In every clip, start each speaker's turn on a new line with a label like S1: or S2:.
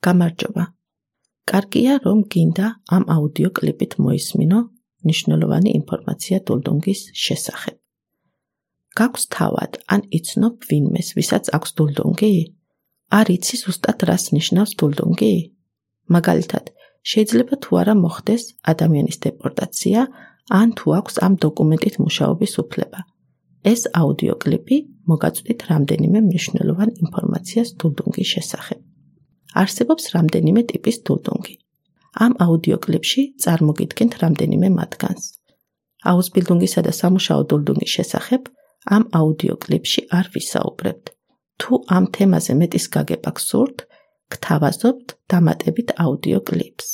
S1: გამარჯობა. კარგია, რომ გინდა ამ აუდიო კლიპით მოისმინო მნიშვნელოვანი ინფორმაცია დულდუნგის შესახებ. გაქვს თავად, ან იცნობ ვინმეს, ვისაც აქვს დულდუნგი? არ იცი ზუსტად რას ნიშნავს დულდუნგი? მაგალითად, შეიძლება თუ არა მოხდეს ადამიანის დეპორტაცია, ან თუ აქვს ამ დოკუმენტით მუშაობის უფლება. ეს აუდიო კლიპი მოგაწვდით რამდენიმე მნიშვნელოვან ინფორმაციას დულდუნგის შესახებ. არსებობს რამდენიმე ტიპის დულდუნგი. ამ აუდიო კლიპში წარმოგიდგენთ რამდენიმე მათგანს. აუსბილდუნგისა და სამუშაო დულდუნგის შესახებ ამ აუდიო კლიპში არ ვისაუბრებთ. თუ ამ თემაზე მეტის გაგება გსურთ, გთავაზობთ დამატებით აუდიო კლიპს.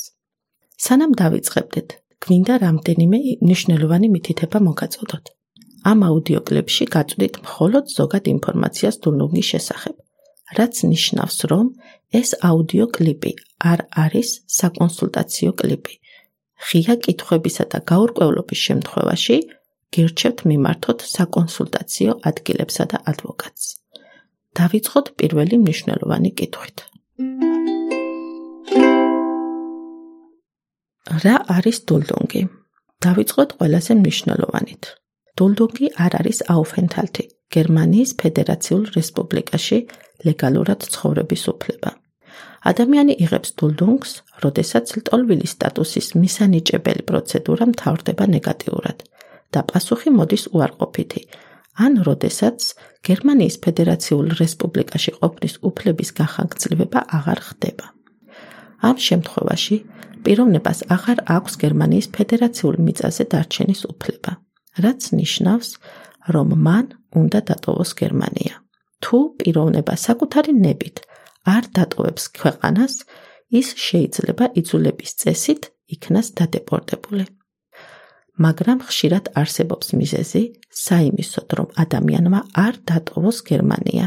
S1: სანამ დავიწყებდეთ, გვინდა რამდენიმე მნიშვნელოვანი მითითება მოგაწოდოთ. ამ აუდიო კლიპში გაწვდით მხოლოდ ზოგად ინფორმაციას დულდუნგის შესახებ, რაც ნიშნავს, რომ ეს აუდიო კლიპი არ არის საკონსულტაციო კლიპი. ღია კითხვებისა და გაურკვევლობის შემთხვევაში გირჩევთ მიმართოთ საკონსულტაციო ადგილებსა და ადვოკატს. დავიწყოთ პირველი მნიშვნელოვანი კითხვით. რა არის დულდუნგი? დავიწყოთ ყველაზე მნიშვნელოვანით. დულდუნგი არ არის აუფენთალთი, გერმანიის ფედერაციულ რესპუბლიკაში ლეგალურად ცხოვრების უფლება. ადამიანი იღებს დულდუნგს, როდესაც ლტოლვილი სტატუსის მისანიჭებელი პროცედურა მთავრდება ნეგატიურად და პასუხი მოდის უარყოფითი, ან როდესაც გერმანიის ფედერაციულ რესპუბლიკაში ყოფნის უფლების განხორციელება აღარ ხდება. ამ შემთხვევაში პიროვნებას აღარ აქვს გერმანიის ფედერაციულ მიწაზე დარჩენის უფლება, რაც ნიშნავს, რომ მან უნდა დატოვოს გერმანია. თუ პიროვნება საკუთარი ნებით არ დატოვებს ქვეყანას, ის შეიძლება იძულების წესით იქნას დადეპორტებული. მაგრამ ხშირად არსებობს მიზეზი საიმისოდ, რომ ადამიანმა არ დატოვოს გერმანია,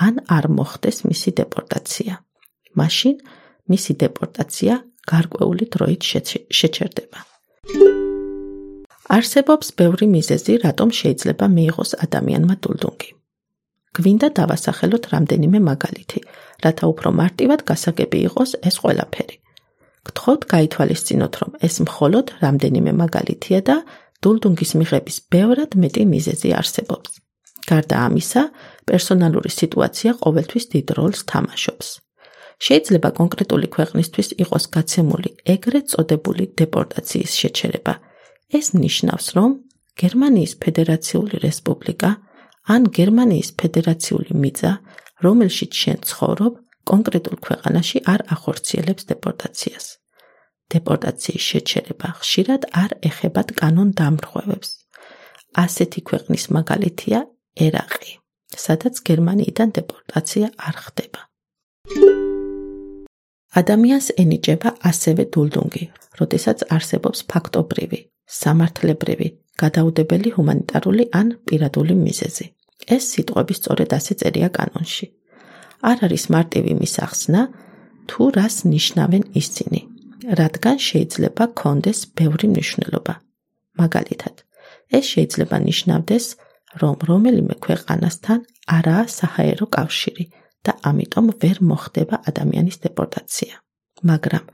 S1: ან არ მოხდეს მისი დეპორტაცია. მაშინ მისი დეპორტაცია გარკვეული დროით შეჩერდება. არსებობს ბევრი მიზეზი, რატომ შეიძლება მიიღოს ადამიანმა დულდუნგი. გვინდა დავასახელოთ რამდენიმე მაგალითი, რათა უფრო მარტივად გასაგები იყოს ეს ყველაფერი. გთხოვთ გაითვალისწინოთ, რომ ეს მხოლოდ რამდენიმე მაგალითია და დულდუნგის მიღების ბევრად მეტი მიზეზი არსებობს. გარდა ამისა, პერსონალური სიტუაცია ყოველთვის დიდ როლს თამაშობს. შეიძლება კონკრეტული ქვეყნისთვის იყოს გაცემული ეგრეთ წოდებული დეპორტაციის შეჩერება. ეს ნიშნავს, რომ გერმანიის ფედერაციული რესპუბლიკა ან გერმანიის ფედერაციული მიწა, რომელშიც შენ ცხოვრობ, კონკრეტულ ქვეყანაში არ ახორციელებს დეპორტაციას. დეპორტაციის შეჩერება ხშირად არ ეხებათ კანონდამრღვევებს. ასეთი ქვეყნის მაგალითია ერაყი, სადაც გერმანიიდან დეპორტაცია არ ხდება. ადამიანს ენიჭება ასევე დულდუნგი, როდესაც არსებობს ფაქტობრივი, სამართლებრივი, გადაუდებელი ჰუმანიტარული ან პირადული მიზეზი. ეს სიტყვები სწორედ ასე წერია კანონში. არ არის მარტივი მისახსნა, თუ რას ნიშნავენ ისინი, რადგან შეიძლება კონდეს ბევრი მნიშვნელობა. მაგალითად, ეს შეიძლება ნიშნავდეს, რომ რომელიმე ქვეყანასთან არაა საჰაერო კავშირი და ამიტომ ვერ მოხდება ადამიანის დეპორტაცია. მაგრამ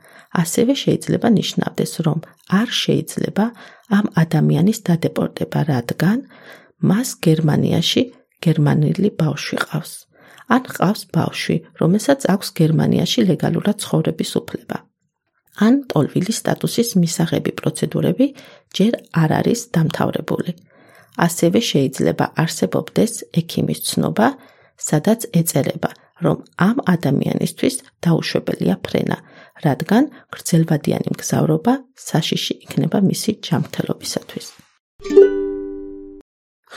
S1: ასევე შეიძლება ნიშნავდეს, რომ არ შეიძლება ამ ადამიანის დადეპორტება, რადგან მას გერმანიაში გერმანელი ბავშვი ყავს. ან ყავს ბავშვი, რომელსაც აქვს გერმანიაში ლეგალურად ცხოვრების უფლება. ან ლტოლვილი სტატუსის მისაღები პროცედურები ჯერ არ არის დამთავრებული. ასევე შეიძლება არსებობდეს ექიმის ცნობა, სადაც ეწერება, რომ ამ ადამიანისთვის დაუშვებელია ფრენა, რადგან გრძელვადიანი მგზავრობა საშიში იქნება მისი ჯანმრთელობისათვის.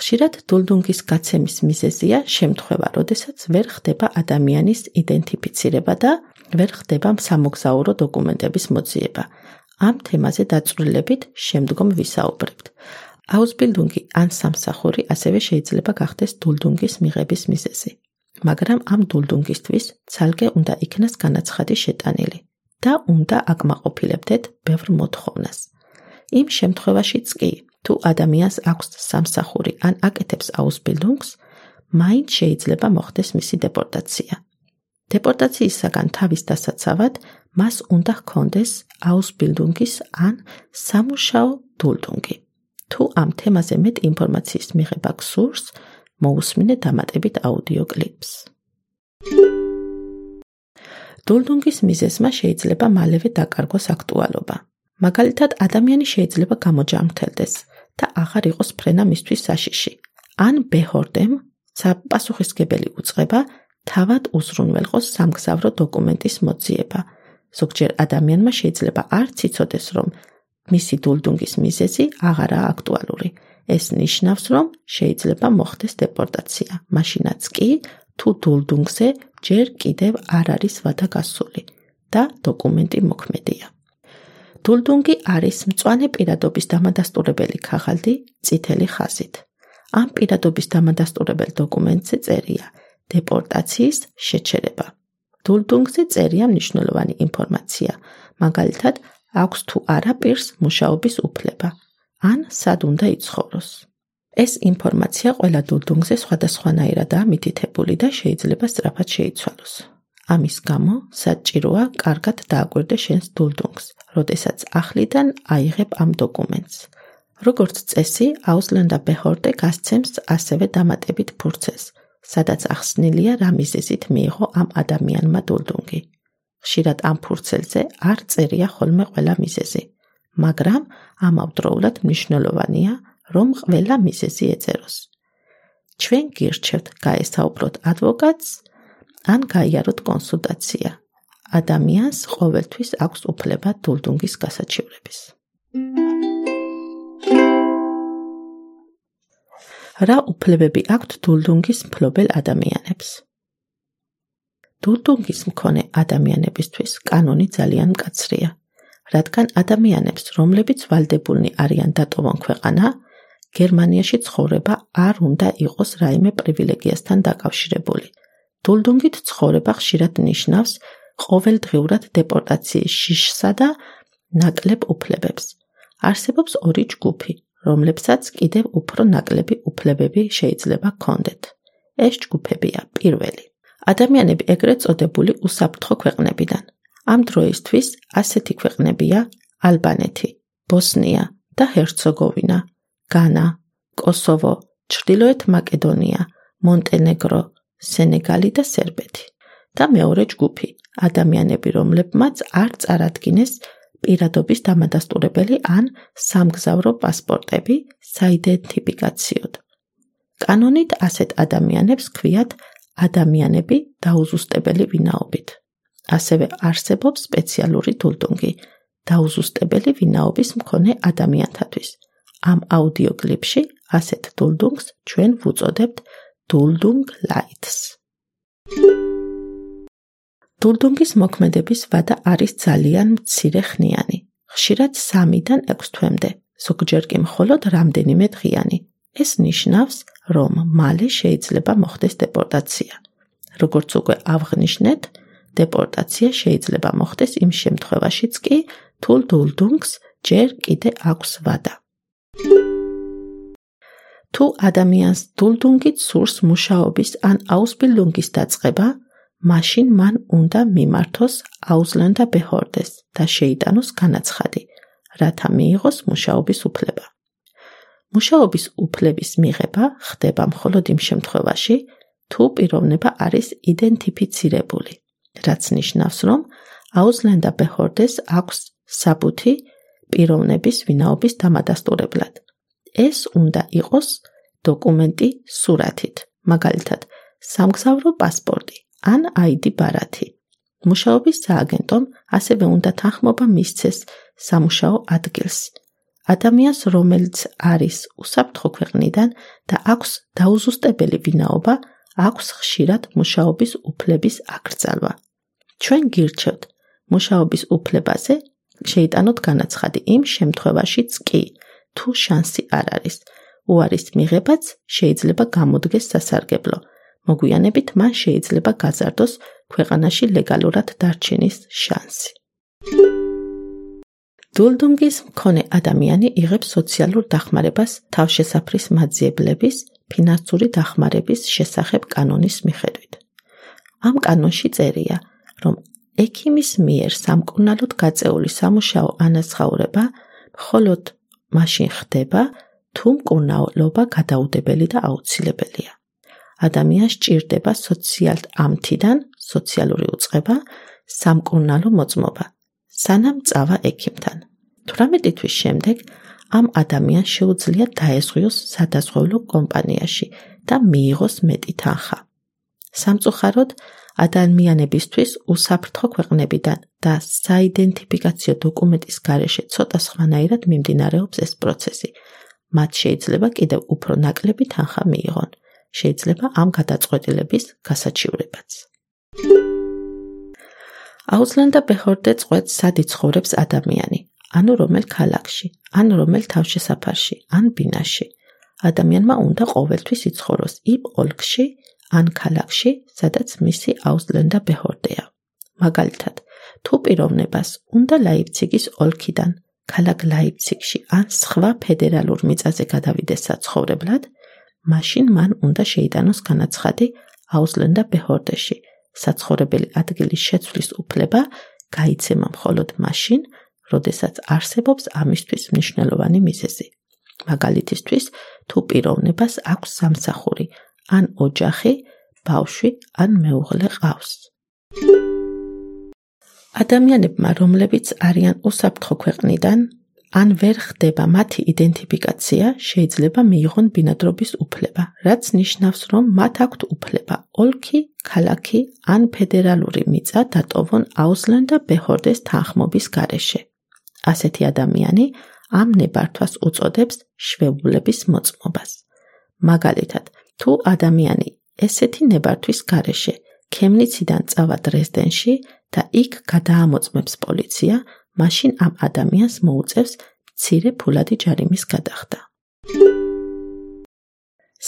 S1: ხშირად დულდუნგის გაცემის მიზეზია შემთხვევა, როდესაც ვერ ხდება ადამიანის იდენტიფიცირება და ვერ ხდება სამოგზაურო დოკუმენტების მოძიება. ამ თემაზე დაწვრილებით შემდგომ ვისაუბრებთ. აუსბილდუნგი ან სამსახური ასევე შეიძლება გახდეს დულდუნგის მიღების მიზეზი. მაგრამ ამ დულდუნგისთვის ცალკე უნდა იქნას განაცხადი შეტანილი და უნდა აკმაყოფილებდეთ ბევრ მოთხოვნას. იმ შემთხვევაშიც კი, თუ ადამიანს აქვს სამსახური ან აკეთებს აუსბილდუნგს, მაინც შეიძლება მოხდეს მისი დეპორტაცია. დეპორტაციისაგან თავის დასაცავად მას უნდა ჰქონდეს აუსბილდუნგის ან სამუშაო დულდუნგი. თუ ამ თემაზე მეტ ინფორმაციის მიღება გსურს, მოусმინე დამატებით აუდიო კლიპს. დულდუნგის მიზეზმა შეიძლება მალევე დაკარგოს აქტუალობა. მაგალითად, ადამიანი შეიძლება გამოჯანმრთელდეს და აღარ იყოს ფრენა მისთვის საშიში. ან ბეჰორდემ პასუხისმგებელი უწყება თავად უზრუნველყოს სამგზავრო დოკუმენტის მოძიება. ზოგჯერ ადამიანმა შეიძლება არც იცოდეს, რომ მისი დულდუნგის მიზეზი აღარაა აქტუალური. ეს ნიშნავს, რომ შეიძლება მოხდეს დეპორტაცია, მაშინაც კი, თუ დულდუნგზე ჯერ კიდევ არ არის ვადა გასული და დოკუმენტი მოქმედია. დულდუნგი არის მწვანე პირადობის დამადასტურებელი ქაღალდი წითელი ხაზით. ამ პირადობის დამადასტურებელ დოკუმენტზე წერია დეპორტაციის შეჩერება. დულდუნგზე წერია მნიშვნელოვანი ინფორმაცია, მაგალითად, აქვს თუ არა პირს მუშაობის უფლება, ან სად უნდა იცხოვროს. ეს ინფორმაცია ყველა დულდუნგზე სხვადასხვანაირადაა მითითებული და შეიძლება სწრაფად შეიცვალოს. ამის გამო საჭიროა კარგად დააკვირდე შენს დულდუნგს, როდესაც ახლიდან აიღებ ამ დოკუმენტს. როგორც წესი, აუსლენდა ბეჰორდე გასცემს ასევე დამატებით ფურცელს, სადაც ახსნილია რა მიზეზით მიიღო ამ ადამიანმა დულდუნგი. ხშირად ამ ფურცელზე არ წერია ხოლმე ყველა მიზეზი, მაგრამ ამავდროულად მნიშვნელოვანია, რომ ყველა მიზეზი ეწეროს. ჩვენ გირჩევთ გაესაუბროთ ადვოკატს ან გაიაროთ კონსულტაცია. ადამიანს ყოველთვის აქვს უფლება დულდუნგის გასაჩივრების. რა უფლებები აქვთ დულდუნგის მფლობელ ადამიანებს? დულდუნგის მქონე ადამიანებისთვის კანონი ძალიან მკაცრია, რადგან ადამიანებს, რომლებიც ვალდებულნი არიან დატოვონ ქვეყანა, გერმანიაში ცხოვრება არ უნდა იყოს რაიმე პრივილეგიასთან დაკავშირებული. დულდუნგით ცხოვრება ხშირად ნიშნავს ყოველდღიურად დეპორტაციის შიშსა და ნაკლებ უფლებებს. არსებობს ორი ჯგუფი, რომლებსაც კიდევ უფრო ნაკლები უფლებები შეიძლება ჰქონდეთ. ეს ჯგუფებია: პირველი, ადამიანები ეგრეთ წოდებული უსაფრთხო ქვეყნებიდან. ამ დროისთვის ასეთი ქვეყნებია ალბანეთი, ბოსნია და ჰერცეგოვინა, განა, კოსოვო, ჩრდილოეთ მაკედონია, მონტენეგრო, სენეგალი და სერბეთი. და მეორე ჯგუფი, ადამიანები, რომლებმაც არ წარადგინეს პირადობის დამადასტურებელი ან სამგზავრო პასპორტები საიდენტიფიკაციოდ. კანონით ასეთ ადამიანებს ქვიათ ადამიანები დაუზუსტებელი ვინაობით. ასევე არსებობს სპეციალური დულდუნგი დაუზუსტებელი ვინაობის მქონე ადამიანთათვის. ამ აუდიო კლიპში ასეთ დულდუნგს ჩვენ ვუწოდებთ დულდუნგ ლაითს. დულდუნგის მოქმედების ვადა არის ძალიან მცირეხნიანი, ხშირად 3-დან 6 თვემდე, ზოგჯერ კი მხოლოდ რამდენიმე დღიანი. ეს ნიშნავს, რომ მალე შეიძლება მოხდეს დეპორტაცია. როგორც უკვე ავღნიშნეთ, დეპორტაცია შეიძლება მოხდეს იმ შემთხვევაშიც კი, თუ დულდუნგს ჯერ კიდე აქვს ვადა. თუ ადამიანს დულდუნგით სურს მუშაობის ან აუსბილდუნგის დაწყება, მაშინ მან უნდა მიმართოს აუსლენდა ბეჰორდეს და შეიტანოს განაცხადი, რათა მიიღოს მუშაობის უფლება. მუშაობის უფლების მიღება ხდება მხოლოდ იმ შემთხვევაში, თუ პიროვნება არის იდენტიფიცირებული, რაც ნიშნავს, რომ აუსლენდა ბეჰორდეს აქვს საბუთი პიროვნების ვინაობის დამადასტურებლად. ეს უნდა იყოს დოკუმენტი სურათით, მაგალითად, სამგზავრო პასპორტი ან ID ბარათი. მუშაობის სააგენტომ ასევე უნდა თანხმობა მისცეს სამუშაო ადგილს. ადამიანს, რომელიც არის უსაფრთხო ქვეყნიდან და აქვს დაუზუსტებელი ვინაობა, აქვს ხშირად მუშაობის უფლების აკრძალვა. ჩვენ გირჩევთ მუშაობის უფლებაზე შეიტანოთ განაცხადი იმ შემთხვევაშიც კი, თუ შანსი არ არის. უარის მიღებაც შეიძლება გამოდგეს სასარგებლო. მოგვიანებით მან შეიძლება გაზარდოს ქვეყანაში ლეგალურად დარჩენის შანსი. დულდუნგის მქონე ადამიანი იღებს სოციალურ დახმარებას თავშესაფრის მაძიებლების, ფინანსური დახმარების შესახებ კანონის მიხედვით. ამ კანონში წერია, რომ ექიმის მიერ სამკურნალოდ გაწეული სამუშაო ანაზღაურება მხოლოდ მაშინ ხდება, თუ მკურნალობა გადაუდებელი და აუცილებელია. ადამიანს სჭირდება სოციალ ამთიდან სოციალური უწყება, სამკურნალო მოწმობა, სანამ წავა ექიმთან. 18 თვის შემდეგ ამ ადამიანს შეუძლია დაეზღვიოს სადაზღვევლო კომპანიაში და მიიღოს მეტი თანხა. სამწუხაროდ, ადამიანებისთვის უსაფრთხო ქვეყნებიდან და საიდენტიფიკაციო დოკუმენტის გარეშე ცოტა სხვანაირად მიმდინარეობს ეს პროცესი. მათ შეიძლება კიდევ უფრო ნაკლები თანხა მიიღონ. შეიძლება ამ გადაწყვეტილების გასაჩივრებაც. აუზლანდა ბეჰორდე წყვეტს, სად იცხოვრებს ადამიანი, ანუ რომელ ქალაქში, ან რომელ თავშესაფარში, ან ბინაში. ადამიანმა უნდა ყოველთვის იცხოვროს იმ ოლქში, ან ქალაქში, სადაც მისი აუზლანდა ბეჰორდეა. მაგალითად, თუ პიროვნებას უნდა ლაიფციგის ოლქიდან ქალაქ ლაიფციგში ან სხვა ფედერალურ მიწაზე გადავიდეს საცხოვრებლად, მაშინ მან უნდა შეიტანოს განაცხადი აუზლანდა ბეჰორდეში. საცხოვრებელი ადგილის შეცვლის უფლება გაიცემა მხოლოდ მაშინ, როდესაც არსებობს ამისთვის მნიშვნელოვანი მიზეზი. მაგალითისთვის, თუ პიროვნებას აქვს სამსახური, ან ოჯახი, ბავშვი, ან მეუღლე ყავს. ადამიანებმა, რომლებიც არიან უსაფრთხო ქვეყნიდან, ან ვერ ხდება მათი იდენტიფიკაცია, შეიძლება მიიღონ ბინადრობის უფლება, რაც ნიშნავს, რომ მათ აქვთ უფლება ოლქი, ქალაქი ან ფედერალური მიწა დატოვონ აუზლანდა ბეჰორდეს თანხმობის გარეშე. ასეთი ადამიანი ამ ნებართვას უწოდებს შვებულების მოწმობას. მაგალითად, თუ ადამიანი ესეთი ნებართვის გარეშე ქემნიციდან წავა დრეზდენში და იქ გადაამოწმებს პოლიცია, მაშინ ამ ადამიანს მოუწევს მცირე ფულადი ჯარიმის გადახდა.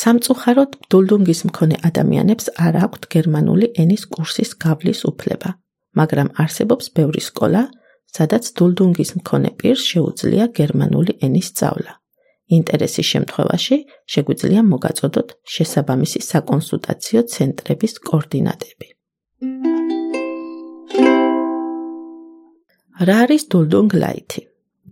S1: სამწუხაროდ, დულდუნგის მქონე ადამიანებს არ აქვთ გერმანული ენის კურსის გავლის უფლება, მაგრამ არსებობს ბევრი სკოლა, სადაც დულდუნგის მქონე პირს შეუძლია გერმანული ენის სწავლა. ინტერესის შემთხვევაში შეგვიძლია მოგაწოდოთ შესაბამისი საკონსულტაციო ცენტრების კოორდინატები. რა არის დულდუნგ ლაითი?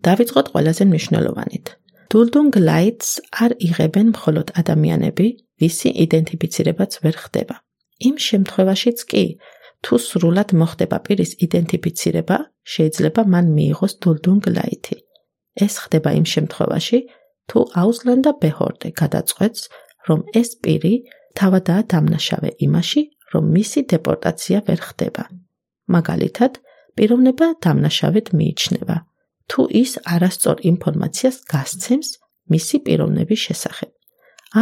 S1: დავიწყოთ ყველაზე მნიშვნელოვანით. დულდუნგ ლაითს არ იღებენ მხოლოდ ადამიანები, ვისი იდენტიფიცირებაც ვერ ხდება. იმ შემთხვევაშიც კი, თუ სრულად მოხდება პირის იდენტიფიცირება, შეიძლება მან მიიღოს დულდუნგ ლაითი. ეს ხდება იმ შემთხვევაში, თუ აუზლანდა ბეჰორდე გადაწყვეტს, რომ ეს პირი თავადაა დამნაშავე იმაში, რომ მისი დეპორტაცია ვერ ხდება. მაგალითად, პიროვნება დამნაშავედ მიიჩნევა, თუ ის არასწორ ინფორმაციას გასცემს მისი პიროვნების შესახებ,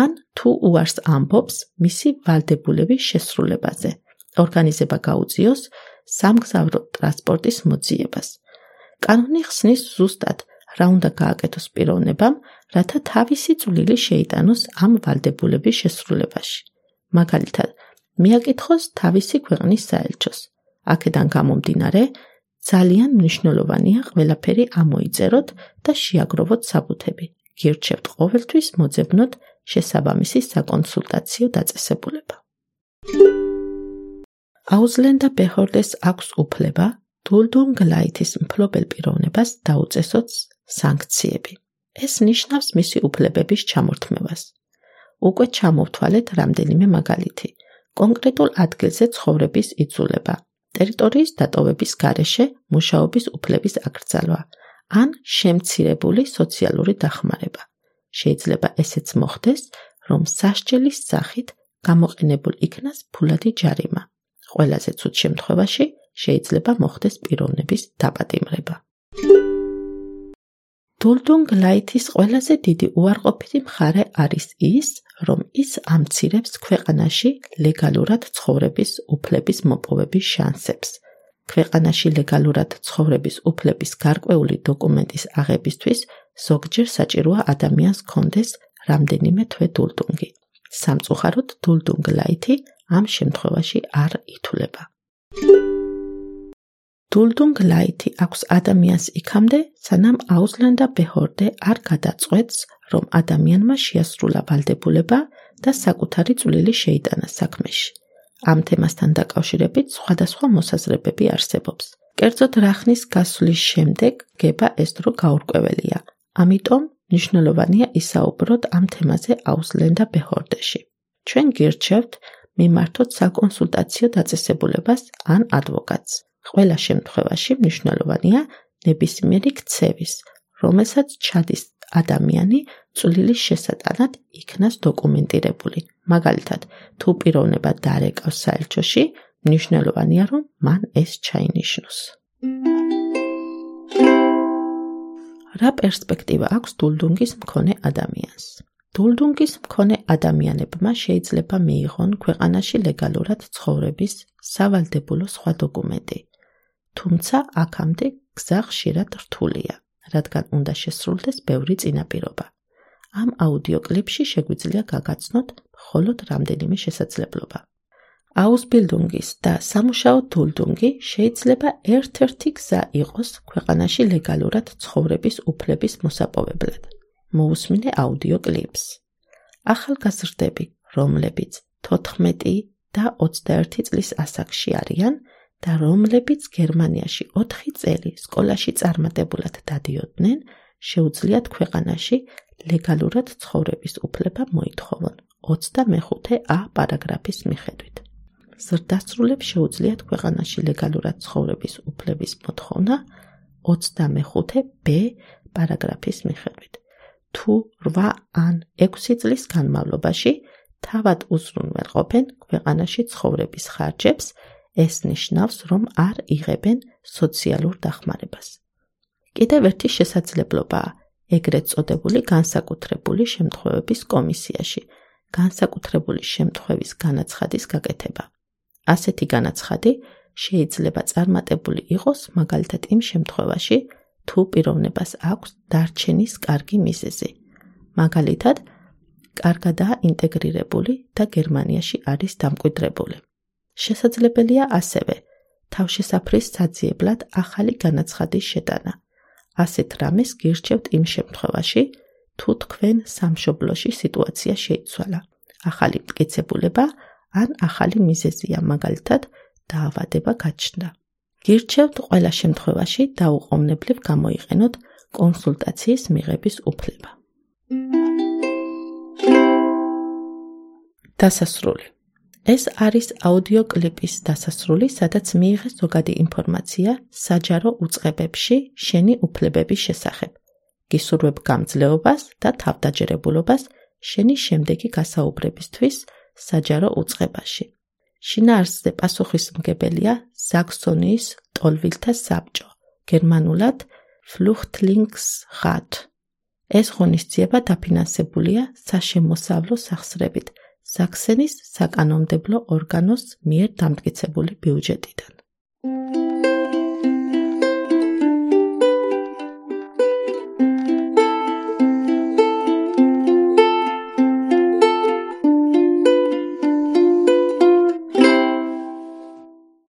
S1: ან თუ უარს ამბობს მისი ვალდებულების შესრულებაზე, ორგანიზება გაუწიოს სამგზავრო ტრანსპორტის მოძიებას. კანონი ხსნის ზუსტად, რა უნდა გააკეთოს პიროვნებამ, რათა თავისი წვლილი შეიტანოს ამ ვალდებულების შესრულებაში. მაგალითად, მიაკითხოს თავისი ქვეყნის საელჩოს. აქედან გამომდინარე, ძალიან მნიშვნელოვანია ყველაფერი ამოიწეროთ და შეაგროვოთ საბუთები. გირჩევთ ყოველთვის მოძებნოთ შესაბამისი საკონსულტაციო დაწესებულება. აუზლანდა ბეჰორდეს აქვს უფლება დულდუნგ ლაითის მფლობელ პიროვნებას დაუწესოთ სანქციები. ეს ნიშნავს მისი უფლებების ჩამორთმევას. უკვე ჩამოვთვალეთ რამდენიმე მაგალითი. კონკრეტულ ადგილზე ცხოვრების იცვლება, ტერიტორიის დატოვების გარეშე მუშაობის უფლების აკრძალვა, ან შემცირებული სოციალური დახმარება. შეიძლება ესეც მოხდეს, რომ სასჯელის სახით გამოყენებულ იქნას ფულადი ჯარიმა. ყველაზე ცუდ შემთხვევაში შეიძლება მოხდეს პიროვნების დაპატიმრება. დულდუნგ ლაითის ყველაზე დიდი უარყოფითი მხარე არის ის, რომ ის ამცირებს ქვეყანაში ლეგალურად ცხოვრების უფლების მოპოვების შანსებს. ქვეყანაში ლეგალურად ცხოვრების უფლების გარკვეული დოკუმენტის აღებისთვის ზოგჯერ საჭიროა ადამიანს ჰქონდეს რამდენიმე თვე დულდუნგი. სამწუხაროდ, დულდუნგ ლაითი ამ შემთხვევაში არ ითვლება. დულდუნგ ლაითი აქვს ადამიანს იქამდე, სანამ აუზლანდა ბეჰორდე არ გადაწყვეტს, რომ ადამიანმა შეასრულა ვალდებულება და საკუთარი წვლილი შეიტანა საქმეში. ამ თემასთან დაკავშირებით სხვადასხვა მოსაზრებები არსებობს. კერძოდ რა ხნის გასვლის შემდეგ გება ეს დრო გაურკვეველია. ამიტომ მნიშვნელოვანია ისაუბროთ ამ თემაზე აუზლენდა ბეჰორდეში. ჩვენ გირჩევთ მიმართოთ საკონსულტაციო დაწესებულებას ან ადვოკატს. ყველა შემთხვევაში მნიშვნელოვანია ნებისმიერი ქცევის, რომელსაც ჩადის ადამიანი წვლილის შესატანად იქნას დოკუმენტირებული. მაგალითად, თუ პიროვნება დარეკავს საელჩოში, მნიშვნელოვანია, რომ მან ეს ჩაინიშნოს. რა პერსპექტივა აქვს დულდუნგის მქონე ადამიანს? დულდუნგის მქონე ადამიანებმა შეიძლება მიიღონ ქვეყანაში ლეგალურად ცხოვრების სავალდებულო სხვა დოკუმენტი. თუმცა აქამდე გზა ხშირად რთულია, რადგან უნდა შესრულდეს ბევრი წინაპირობა. ამ აუდიო კლიპში შეგვიძლია გაგაცნოთ მხოლოდ რამდენიმე შესაძლებლობა. აუსბილდუნგის და სამუშაო დულდუნგი შეიძლება ერთ-ერთი გზა იყოს ქვეყანაში ლეგალურად ცხოვრების უფლების მოსაპოვებლად. მოусმინე აუდიო კლიპს. ახალგაზრდები, რომლებიც 14 და 21 წლის ასაკში არიან და რომლებიც გერმანიაში 4 წელი სკოლაში წარმატებულად დადიოდნენ, შეუძლიათ ქვეყანაში ლეგალურად ცხოვრების უფლება მოითხოვონ 25a პარაგრაფის მიხედვით. ზრდასრულებს შეუძლიათ ქვეყანაში ლეგალურად ცხოვრების უფლების მოთხოვნა 25b პარაგრაფის მიხედვით. თუ 8 ან 6 წლის განმავლობაში თავად უზრუნველყოფენ ქვეყანაში ცხოვრების ხარჯებს, ეს ნიშნავს, რომ არ იღებენ სოციალურ დახმარებას. კიდევ ერთი შესაძლებლობაა ეგრეთ წოდებული განსაკუთრებული შემთხვევების კომისიაში განსაკუთრებული შემთხვევის განაცხადის გაკეთება. ასეთი განაცხადი შეიძლება წარმატებული იყოს მაგალითად იმ შემთხვევაში, თუ პიროვნებას აქვს დარჩენის კარგი მიზეზი. მაგალითად, კარგადაა ინტეგრირებული და გერმანიაში არის დამკვიდრებული. შესაძლებელია ასევე თავშესაფრის საძიებლად ახალი განაცხადის შეტანა. ასეთ რამეს გირჩევთ იმ შემთხვევაში, თუ თქვენ სამშობლოში სიტუაცია შეიცვალა, ახალი მტკიცებულება ან ახალი მიზეზია, მაგალითად, დაავადება გაჩნდა. გირჩევთ ყველა შემთხვევაში დაუყოვნებლივ გამოიყენოთ კონსულტაციის მიღების უფლება. დასასრული. ეს არის აუდიო კლიპის დასასრული, სადაც მიიღეს ზოგადი ინფორმაცია საჯარო უწყებებში შენი უფლებების შესახებ. გისურვებ გამძლეობას და თავდაჯერებულობას შენი შემდეგი გასაუბრებისთვის საჯარო უწყებაში. შინაარსზე პასუხისმგებელია საქსონიის ტოლვილთა საბჭო, გერმანულად Flüchtlingsrat. ეს ღონისძიება დაფინანსებულია საშემოსავლო სახსრებით საქსენის საკანონმდებლო ორგანოს მიერ დამტკიცებული ბიუჯეტიდან.